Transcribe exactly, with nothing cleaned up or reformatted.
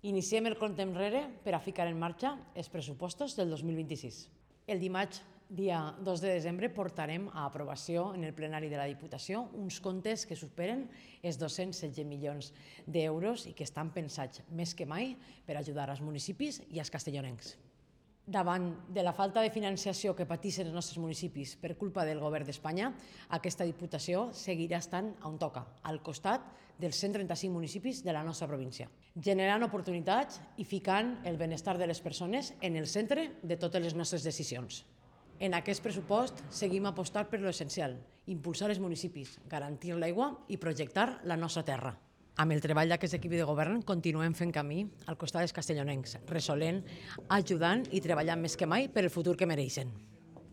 Iniciem el compte enrere per a ficar en marxa els pressupostos del dos mil vint-i-sis. El dimarts, dia dos de desembre, portarem a aprovació en el plenari de la Diputació uns comptes que superen els dos-cents setze milions d'euros i que estan pensats més que mai per ajudar als municipis i als castellonencs. Davant de la falta de financiació que pateixen els nostres municipis per culpa del govern d'Espanya, aquesta Diputació seguirà estant on toca, al costat dels cent trenta-cinc municipis de la nostra província, generant oportunitats i ficant el benestar de les persones en el centre de totes les nostres decisions. En aquest pressupost seguim apostant per l'essencial, impulsar els municipis, garantir l'aigua i projectar la nostra terra. Amb el treball d'aquest equip de govern continuem fent camí al costat dels castellonencs, resolent, ajudant i treballant més que mai per el futur que mereixen.